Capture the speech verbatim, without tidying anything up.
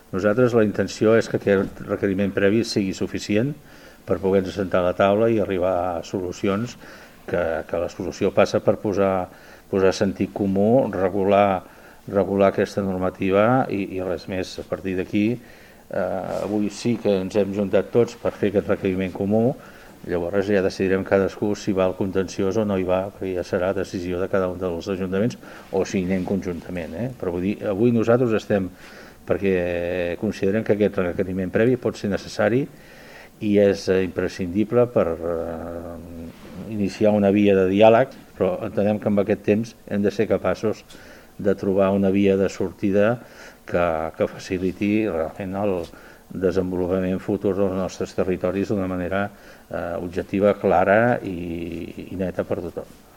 Nosaltres la intenció és que aquest requeriment previ sigui suficient per poder-nos sentar a la taula i arribar a solucions, que, que la solució passa per posar, posar sentit comú, regular, regular aquesta normativa i, i res més. A partir d'aquí, eh, avui sí que ens hem juntat tots per fer aquest requeriment comú. Llavors ja decidirem cadascú si va al contenciós o no hi va, perquè ja serà decisió de cada un dels ajuntaments o si anem conjuntament. Eh? Però vull dir, avui nosaltres estem perquè considerem que aquest requeriment previ pot ser necessari i és imprescindible per eh, iniciar una via de diàleg, però entenem que amb aquest temps hem de ser capaços de trobar una via de sortida que, que faciliti realment el desenvolupament futur dels nostres territoris d'una manera eh, objectiva, clara i, i neta per tothom.